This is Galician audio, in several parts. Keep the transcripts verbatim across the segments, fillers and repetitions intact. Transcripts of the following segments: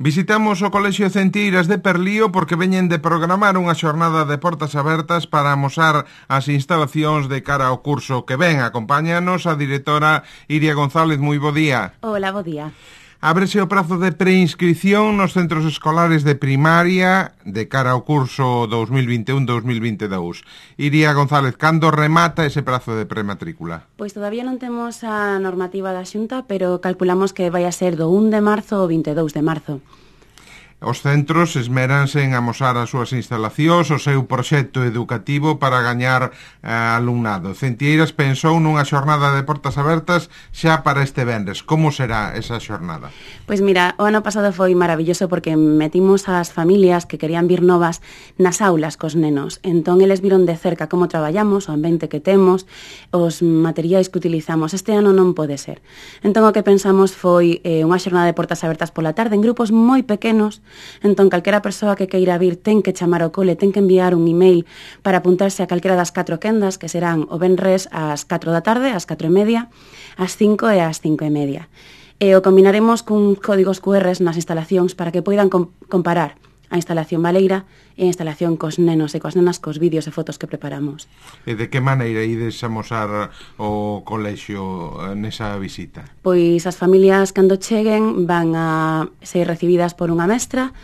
Visitamos o Colexio Centeiras de Perlío porque veñen de programar unha xornada de portas abertas para amosar as instalacións de cara ao curso que ven. Acompáñanos a directora Iria González. Moi bo día. Hola, bo día. Ábrese o prazo de preinscripción nos centros escolares de primaria de cara ao curso dos mil vinte e un dos mil vinte e dous. Iria González, cando remata ese prazo de prematrícula? Pois todavía non temos a normativa da Xunta, pero calculamos que vai a ser do un de marzo ao vinte e dous de marzo. Os centros esméranse en amosar as súas instalacións, o seu proxecto educativo para gañar eh, alumnado. Centeiras pensou nunha xornada de portas abertas xa para este venres. Como será esa xornada? Pois mira, o ano pasado foi maravilloso porque metimos as familias que querían vir novas nas aulas cos nenos. Entón, eles viron de cerca como traballamos, o ambiente que temos, os materiais que utilizamos. Este ano non pode ser. Entón, o que pensamos foi eh, unha xornada de portas abertas pola tarde en grupos moi pequenos. Entón, calquera persoa que queira vir ten que chamar ao cole, ten que enviar un email para apuntarse a calquera das catro quendas, que serán o venres ás catro da tarde, ás catro e media, ás cinco e ás cinco e media. E o combinaremos cun códigos cu erres nas instalacións para que poidan com- comparar a instalación baleira e a instalación cos nenos e coas nenas cos vídeos e fotos que preparamos. E de que maneira ides amosar o colexio nesa visita? Pois as familias cando cheguen van a ser recibidas por unha mestra.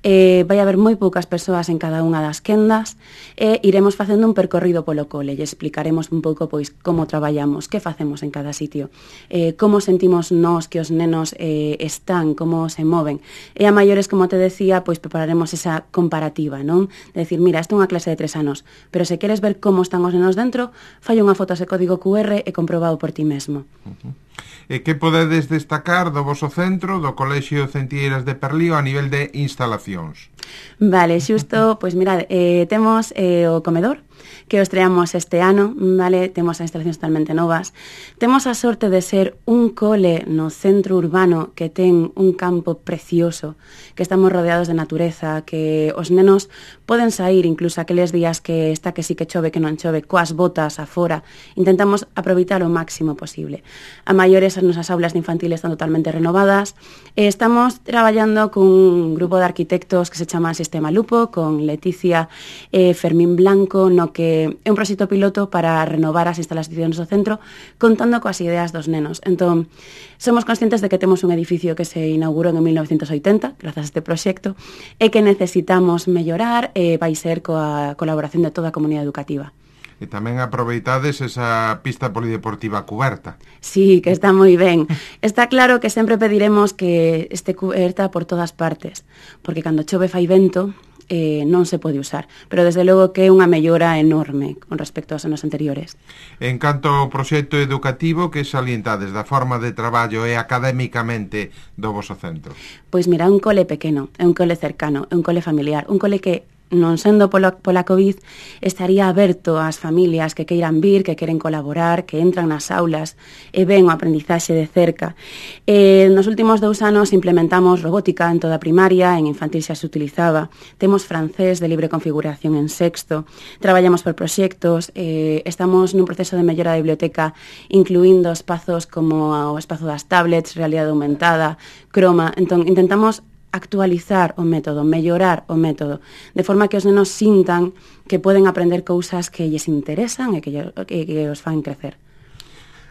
Eh, vai haber moi poucas persoas en cada unha das quendas e iremos facendo un percorrido polo cole e explicaremos un pouco pois como traballamos, que facemos en cada sitio, eh, como sentimos nós que os nenos eh, están, como se moven. E a maiores, como te decía, pois prepararemos esa comparativa, non? De decir, mira, esta é unha clase de tres anos, pero se queres ver como están os nenos dentro, fai unha foto ese código cu erre e comprobado por ti mesmo. Uh-huh. E que podedes destacar do voso centro, do Colexio Centeiras de Perlío, a nivel de instalacións? Vale, xusto, pois mirad, eh, temos eh, o comedor, que o estreamos este ano, vale, temos as instalacións totalmente novas. Temos a sorte de ser un cole no centro urbano que ten un campo precioso, que estamos rodeados de natureza, que os nenos poden sair incluso aqueles días que está que sí que chove, que non chove, coas botas afora. Intentamos aproveitar o máximo posible. A maiores as nosas aulas de infantil están totalmente renovadas. E estamos traballando cun grupo de arquitectos que se chama Sistema Lupo, con Leticia e Fermín Blanco, no que é un proxecto piloto para renovar as instalacións do centro contando coas ideas dos nenos. Entón, somos conscientes de que temos un edificio que se inaugurou en mil novecentos oitenta, grazas a este proxecto, e que necesitamos mellorar e vai ser coa colaboración de toda a comunidade educativa. E tamén aproveitades esa pista polideportiva cuberta. Sí, que está moi ben. Está claro que sempre pediremos que este cuberta por todas partes, porque cando chove fai vento, eh, non se pode usar. Pero desde logo que é unha mellora enorme con respecto aos anos anteriores. En canto ao proxecto educativo, que salientades da forma de traballo e académicamente do voso centro? Pois mira, un cole pequeno, é un cole cercano, é un cole familiar, un cole que non sendo pola, pola COVID, estaría aberto ás familias que queiran vir, que queren colaborar, que entran nas aulas e ven o aprendizaxe de cerca. Eh, nos últimos dous anos implementamos robótica en toda a primaria, en infantil xa se utilizaba, temos francés de libre configuración en sexto, traballamos por proxectos, eh, estamos nun proceso de mellora da biblioteca incluindo espazos como o espazo das tablets, realidade aumentada, croma. Entón, intentamos actualizar o método, mellorar o método, de forma que os nenos sintan que poden aprender cousas que lles interesan e que, que, que os fan crecer.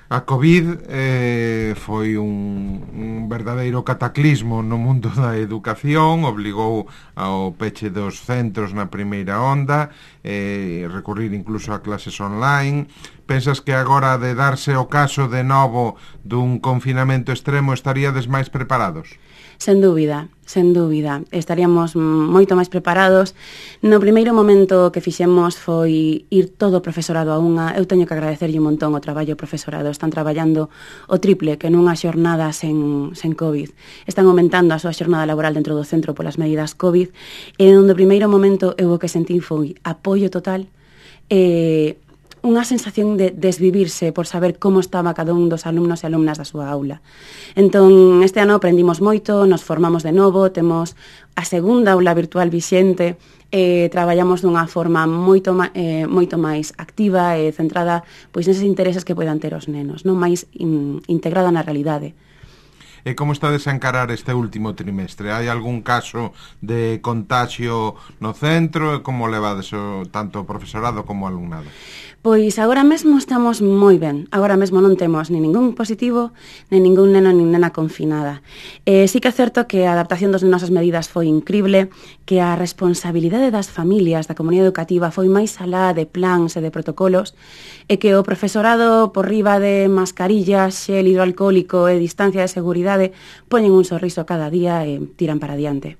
A COVID eh, foi un, un verdadeiro cataclismo no mundo da educación, obligou ao peche dos centros na primeira onda, eh, recurrir incluso a clases online. Pensas que agora, de darse o caso de novo dun confinamento extremo, estaríades máis preparados? Sen dúbida, sen dúbida. Estaríamos moito máis preparados. No primeiro momento que fixemos foi ir todo o profesorado a unha. Eu teño que agradecerlle un montón o traballo ao profesorado. Están traballando o triple que nunha xornada sen, sen COVID. Están aumentando a súa xornada laboral dentro do centro polas medidas COVID. E no primeiro momento eu o que sentín foi apoio total e unha sensación de desvivirse por saber como estaba cada un dos alumnos e alumnas da súa aula. Entón, este ano aprendimos moito, nos formamos de novo, temos a segunda aula virtual vixente, eh, traballamos dunha forma moito, eh, moito máis activa e centrada pois neses intereses que poidan ter os nenos, non máis in, integrada na realidade. E como está a desencarar este último trimestre? Hai algún caso de contagio no centro? E como levades o, tanto o profesorado como o alumnado? Pois agora mesmo estamos moi ben. Agora mesmo non temos ni ningún positivo, ni ningún neno ni nena confinada. Eh, sí que é certo que a adaptación das nosas medidas foi incrible, que a responsabilidade das familias, da comunidade educativa, foi máis alá de plans e de protocolos, e que o profesorado, por riba de mascarillas, xel hidroalcohólico e distancia de seguridade, poñen un sorriso cada día e tiran para diante.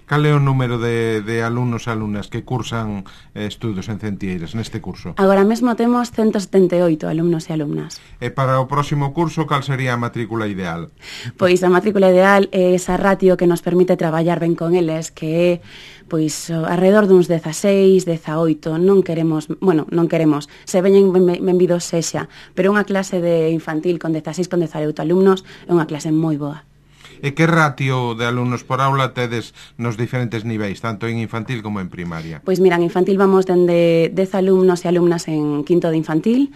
Cal é o número de, de alumnos e alumnas que cursan eh, estudos en Centlleiras neste curso? Agora mesmo temos ciento setenta e oito alumnos e alumnas. E para o próximo curso, cal sería a matrícula ideal? Pois a matrícula ideal é esa ratio que nos permite traballar ben con eles, que é pois alrededor duns dezaseis, dezaoito. Non queremos, bueno, non queremos, se veñen benvidos sexa, pero unha clase de infantil con dezaseis, con dezaoito alumnos é unha clase moi boa. E que ratio de alumnos por aula tedes nos diferentes niveis, tanto en infantil como en primaria? Pois mira, en infantil vamos dende dez alumnos e alumnas en quinto de infantil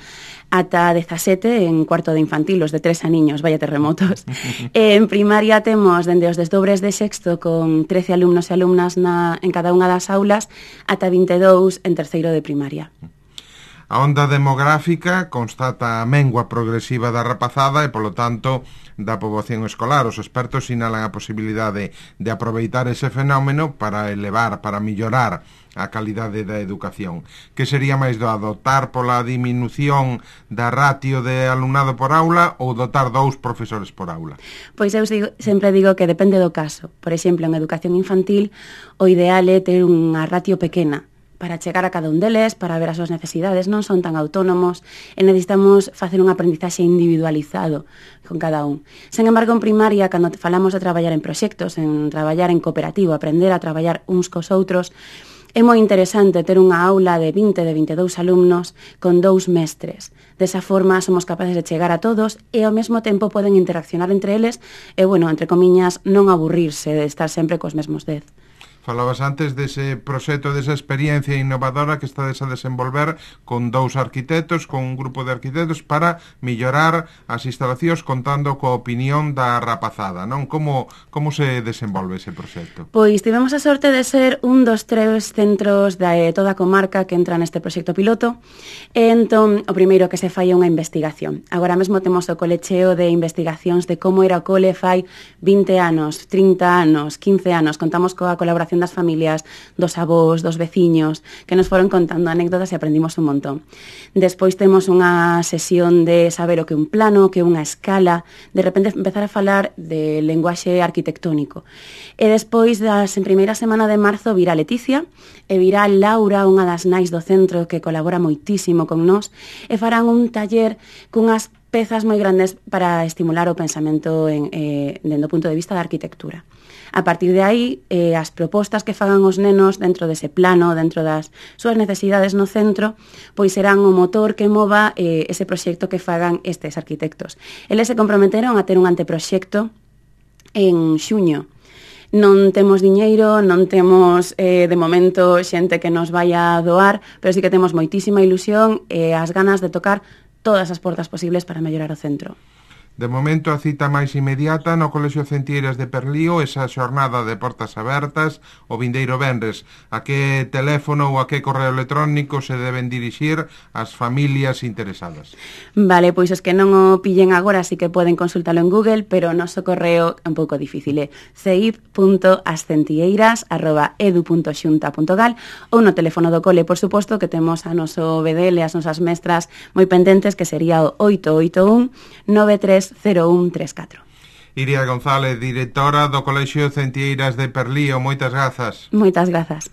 ata dezasete en cuarto de infantil, os de tres aniños, vaya terremotos. En primaria temos dende os desdobres de sexto con trece alumnos e alumnas na, en cada unha das aulas ata vinte e dous en terceiro de primaria. A onda demográfica constata a mengua progresiva da rapazada e, polo tanto, da poboación escolar. Os expertos sinalan a posibilidade de aproveitar ese fenómeno para elevar, para millorar a calidade da educación. Que sería máis doado, optar pola diminución da ratio de alumnado por aula ou dotar dous profesores por aula? Pois eu digo, sempre digo que depende do caso. Por exemplo, en educación infantil, o ideal é ter unha ratio pequena, para chegar a cada un deles, para ver as súas necesidades, non son tan autónomos e necesitamos facer un aprendizaxe individualizado con cada un. Sen embargo, en primaria, cando falamos de traballar en proxectos, en traballar en cooperativo, aprender a traballar uns cos outros, é moi interesante ter unha aula de vinte, de vinte e dous alumnos con dous mestres. Desa forma somos capaces de chegar a todos e ao mesmo tempo poden interaccionar entre eles e, bueno, entre comiñas, non aburrirse de estar sempre cos mesmos dez. Falabas antes dese proxecto, desa experiencia innovadora que estades a desenvolver con dous arquitectos, con un grupo de arquitectos para millorar as instalacións contando coa opinión da rapazada, non? Como, como se desenvolve ese proxecto? Pois tivemos a sorte de ser un dos tres centros de toda a comarca que entra neste proxecto piloto e entón o primeiro que se fai é unha investigación. Agora mesmo temos o colecheo de investigacións de como era o cole fai vinte anos, trinta anos, quince anos. Contamos coa colaboración das familias, dos avós, dos veciños, que nos foron contando anécdotas e aprendimos un montón. Despois temos unha sesión de saber o que é un plano, o que é unha escala, de repente empezar a falar de lenguaxe arquitectónico. E despois, das, en primeira semana de marzo, virá Leticia, e virá Laura, unha das nais do centro, que colabora moitísimo con nós, e farán un taller cunhas pezas moi grandes para estimular o pensamento en, eh, dentro do punto de vista da arquitectura. A partir de aí, eh, as propostas que fagan os nenos dentro dese plano, dentro das súas necesidades no centro, pois serán o motor que mova eh, ese proxecto que fagan estes arquitectos. Eles se comprometeron a ter un anteproxecto en xuño. Non temos diñeiro, non temos eh, de momento xente que nos vai a doar, pero sí que temos moitísima ilusión e as ganas de tocar todas as portas posibles para mellorar o centro. De momento, a cita máis inmediata no Colexio Centlleiras de Perlío, esa xornada de portas abertas, o vindeiro venres. A que teléfono ou a que correo electrónico se deben dirixir as familias interesadas? Vale, pois os que non o pillen agora sí que poden consultalo en Google, pero o noso correo é un pouco difícil, é ceib punto ascentilleiras arroba edu punto xunta punto gal ou no teléfono do cole, por suposto, que temos a noso B D L, as nosas mestras moi pendentes, que sería o oito oito un nove tres cero un tres catro. Iria González, directora do Colexio Centlleiras de Perlío, moitas grazas. Moitas grazas.